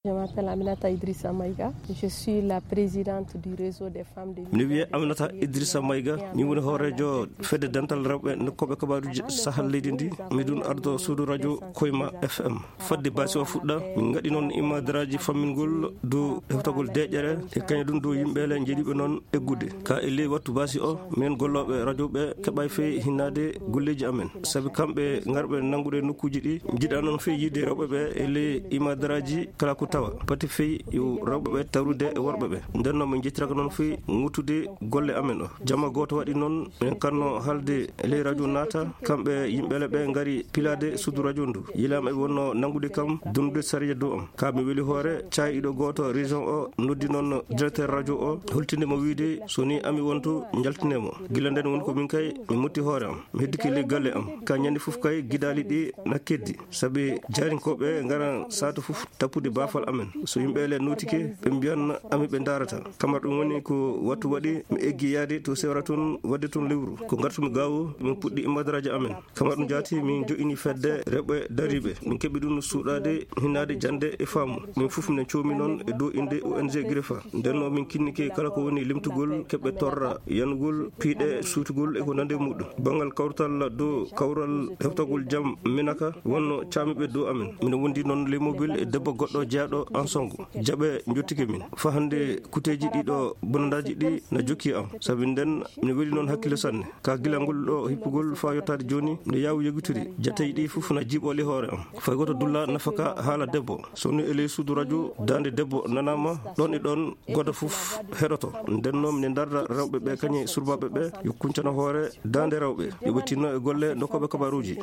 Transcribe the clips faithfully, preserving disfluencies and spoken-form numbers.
Je m'appelle Aminata Idrissa Maïga. Je suis la présidente du réseau des femmes de Miɗo wiyee Aminata Idrissa Maïga. Min woni hooreejo fedde dental rewɓe nokkuɓe kabaruuji sahal leydi ndi. Miɗun ardo suudu radio Koyma F M. Fodde baasi o fuɗɗa, min ngaɗi noon imadaraaji fammingol dow heftagol deeƴere e kañum ɗum dow yimɓe le njeɗiɓe noon eggude. Ka e ley wattu baasi o, min gollooɓe radio ɓe keɓay fey hinnaade golleeji amen. Sabi kamɓe ngarɓe nanngude nokkuuji ɗi, njiɗa noon fey yiide rewɓe ɓe e ley imadaraaji kala ko tawa. Pati fey yo rewɓe ɓe tawrude e worɓe ɓe. Nden noon min njettiraka noon fey ŋuttude golle amen o. Jama gooto waɗi noon, min kanno halde e ley radio naata, kamɓe yimɓe le ɓe ngari pilaade suudu radio ndu. Yilaama e wonno nanngude kam, dunnude sariya dow am. Ka mi weli hoore, caayiɗo gooto région o noddi noon directeur radio o, holtinde mo wiide, so ni ami wontu, njaltine mo. Gila nden woni ko min kay, mi mutti hoore am. Mi heddike ley galle am. Ka ñande fof kay, gidaali ɗi na keddi. Sabi jaarinkooɓe ngaran saatu fof tappude baafal amen. So yimɓe le notike, ɓe mbiyan ami ɓe ndaarata. Kamar ɗum woni ko wattu waɗi, mi eggi yaade to sewra toon, waɗde toon lewru. Ko ngartumi gaawo, min puɗɗi imadaraaji amen. Kamar ɗum jaati, min jo'ini fedde rewɓe dariiɓe. Min keɓi ɗum suuɗaade, hinnaade jannde e faamu. Min fof minen coomi noon e dow innde O N G Grefa. Nden noon min kinnike kala ko woni limtugol keɓɓe torra, yanugol, piiɗe, suutugol e ko nandi e muɗum. Banngal kawtal dow kawral heftagol jam Minaka wonno caamiiɓe dow amen. Mino wondi noon ley mobil e debbo goɗɗo jeyaaɗo Ansongo. Jaɓe njottike min. Faa hannde kuteeji ɗiɗo bonandaaji ɗi na jokki am. Sabi nden mino weli noon hakkille sanne. Ka gila ngol ɗo hippugol faa yottaade jooni, no yaawu yogitiri, jatteeji ɗi fof na jiiɓoo ley hoore am. Fay gooto dulla nafaka haala debbo. So ni e ley suudu radio, daande debbo nanaama, ɗon e ɗon gooto fof heɗoto. Nden noon mine ndarda rewɓe ɓe kañe surbaaɓe ɓe, yo kuncano hoore daande rewɓe. Yo ɓe tinno e golle dokkooɓe kabaruuji.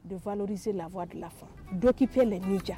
De valoriser la voix de la femme, d'occuper les médias.